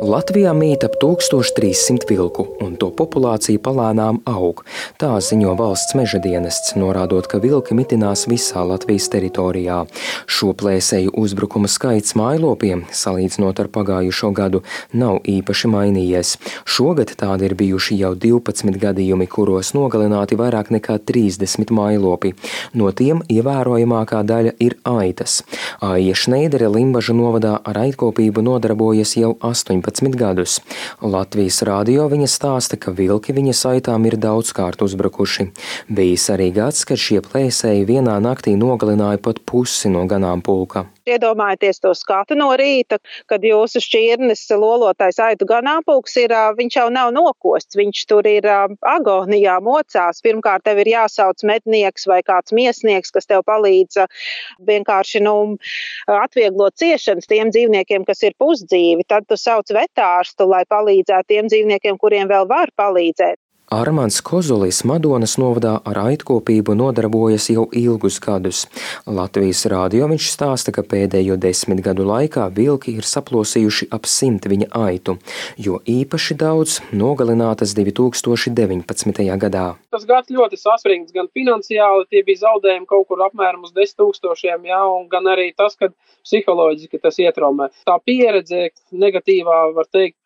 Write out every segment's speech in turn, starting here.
Latvijā mīt ap 1300 vilku, un to populācija palēnām aug. Tā ziņo valsts meža dienests, norādot, ka vilki mitinās visā Latvijas teritorijā. Šo plēsēju uzbrukuma skaits mājlopiem, salīdzinot ar pagājušo gadu, nav īpaši mainījies. Šogad tādi ir bijuši jau 12 gadījumi, kuros nogalināti vairāk nekā 30 mājlopi. No tiem ievērojamākā daļa ir aitas. Aija Šneidere Limbažu novadā ar aitkopību nodarbojas jau 18 gadus. Latvijas radio viņa stāsta, ka vilki viņas aitām ir daudzkārt uzbrukuši. Bijis arī gads, kad šie plēsēji vienā naktī nogalināja pat pusi no ganāmpulka. Iedomājieties to skatu no rīta, kad jūsu šķirnes lolotais aitu ganāmpulks viņš jau nav nokosts, viņš tur ir agonijā, mocās. Pirmkārt, tev ir jāsauc mednieks vai kāds miesnieks, kas tev palīdz vienkārši atvieglot ciešanas tiem dzīvniekiem, kas ir pusdzīvi. Tad tu sauc vetārstu, lai palīdzētu tiem dzīvniekiem, kuriem vēl var palīdzēt. Armands Kozulis Madonas novadā ar aitkopību nodarbojas jau ilgus gadus. Latvijas radio viņš stāsta, ka pēdējo 10 gadu laikā vilki ir saplosījuši ap 100 viņa aitu, jo īpaši daudz nogalinātas 2019. gadā. Tas gads ļoti saspringts, gan finansiāli, tie bija zaudējumi kaut kur apmēram uz 10 000, un gan arī tas, ka psiholoģiski tas ietraumē. Tā pieredze negatīvā, var teikt,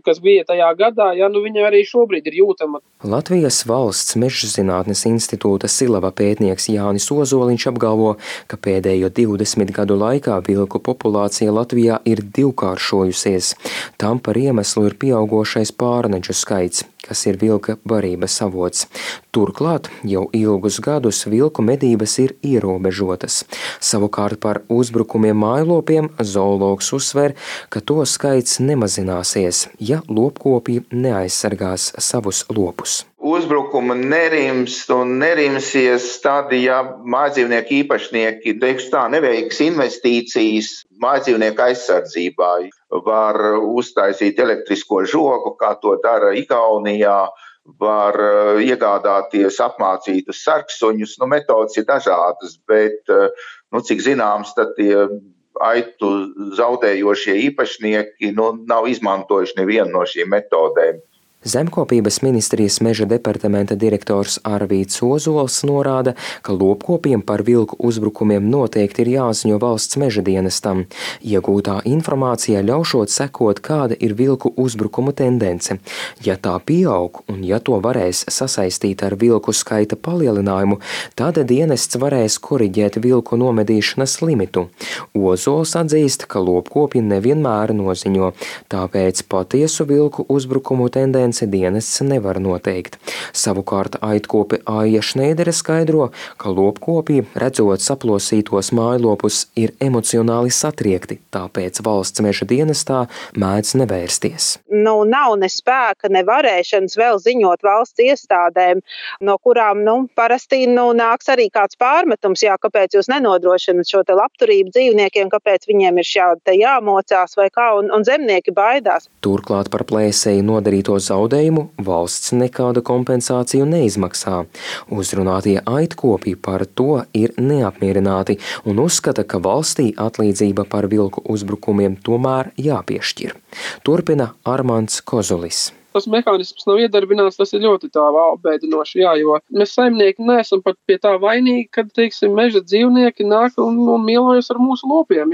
kas bija tajā gadā, viņa arī šobrīd ir jūtama. Latvijas Valsts mežzinātnes institūta Silava pētnieks Jānis Ozoliņš apgalvo, ka pēdējo 20 gadu laikā vilku populācija Latvijā ir divkāršojusies. Tam par iemeslu ir pieaugošais pārnedžu skaits, kas ir vilka barības avots. Turklāt jau ilgus gadus vilku medības ir ierobežotas. Savukārt par uzbrukumiem mājlopiem zoologs uzsver, ka to skaits nemazināsies, ja lopkopji neaizsargās savus lopus. Uzbrukuma nerimst un nerimsies tad, ja mājdzīvnieku īpašnieki, neveiks investīcijas mājdzīvnieku aizsardzībā. Var uztaisīt elektrisko žogu, kā to dara Igaunijā, var iegādāties apmācītus sarksuņus. Metodas ir dažādas, bet, cik zināms, tad tie aitu zaudējošie īpašnieki nav izmantojuši nevienu no šīm metodēm. Zemkopības ministrijas meža departamenta direktors Arvīds Ozols norāda, ka lopkopiem par vilku uzbrukumiem noteikti ir jāziņo valsts meža dienestam. Iegūtā informācija ļaušot sekot, kāda ir vilku uzbrukumu tendence. Ja tā pieaug un ja to varēs sasaistīt ar vilku skaita palielinājumu, tad dienests varēs koriģēt vilku nomedīšanas limitu. Ozols atzīst, ka lopkopji nevienmēr noziņo, tāpēc patiesu vilku uzbrukumu tendenci dienests nevar noteikt. Savukārt aitkope Aija Šneidere skaidro, ka lopkopji, redzot saplosītos mājlopus, ir emocionāli satriekti, tāpēc valsts meža dienestā mēdz nevērsties. Nav ne spēka, ne varēšanas vēl ziņot valsts iestādēm, no kurām parasti nāks arī kāds pārmetums, kāpēc jūs nenodrošināt šo te labturību dzīvniekiem, kāpēc viņiem ir šādi jāmocās vai kā, un zemnieki baidās. Turklāt par plēsēju nodarīto zaudējumu valsts nekādu kompensāciju neizmaksā. Uzrunātie aitkopji par to ir neapmierināti un uzskata, ka valstī atlīdzība par vilku uzbrukumiem tomēr jāpiešķir. Turpina Armands Kozulis. Tas mehānisms nav iedarbināts, tas ir ļoti tā bēdinoši, jo mēs saimnieki neesam pat pie tā vainīgi, kad, meža dzīvnieki nāk un mielojas ar mūsu lopiem,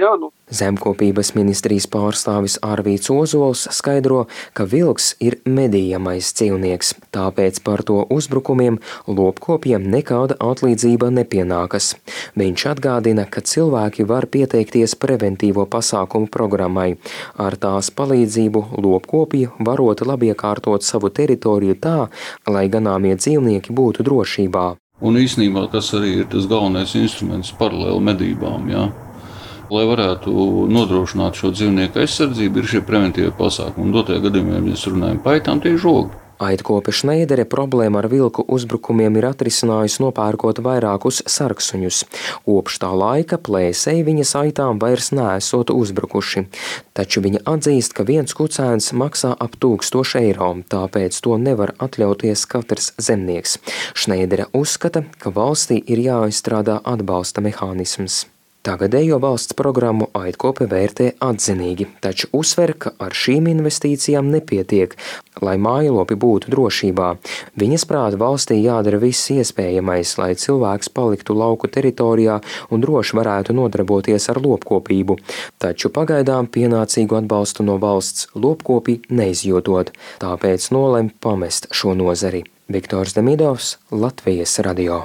Zemkopības ministrijas pārstāvis Arvīds Ozols skaidro, ka vilks ir medījamais dzīvnieks, tāpēc par to uzbrukumiem lopkopiem nekāda atlīdzība nepienākas. Viņš atgādina, ka cilvēki var pieteikties preventīvo pasākumu programmai. Ar tās palīdzību lopkopji varot labiekārtot savu teritoriju tā, lai ganāmie dzīvnieki būtu drošībā. Un īstenībā tas arī ir tas galvenais instruments paralēli medībām, Lai varētu nodrošināt šo dzīvnieku aizsardzību, ir šie preventīvie pasākumi. Un dotajā gadījumā, ja mēs runājam par aitām, tie ir žogi. Aitkope Šneidere problēma ar vilku uzbrukumiem ir atrisinājusi nopērkot vairākus sarksuņus. Kopš tā laika plēsēji viņas aitām vairs neesot uzbrukuši. Taču viņa atzīst, ka viens kucēns maksā ap 1000 eiro, tāpēc to nevar atļauties katrs zemnieks. Šneidere uzskata, ka valstī ir jāizstrādā atbalsta mehānisms. Tagadējo valsts programmu Aitkope vērtē atzinīgi, taču uzsver, ka ar šīm investīcijām nepietiek, lai mājlopi būtu drošībā. Viņas prāta valstī jādara viss iespējamais, lai cilvēks paliktu lauku teritorijā un droši varētu nodarboties ar lopkopību, taču pagaidām pienācīgu atbalstu no valsts lopkopi neizjūtot, tāpēc nolem pamest šo nozari. Viktors Demidovs, Latvijas radio.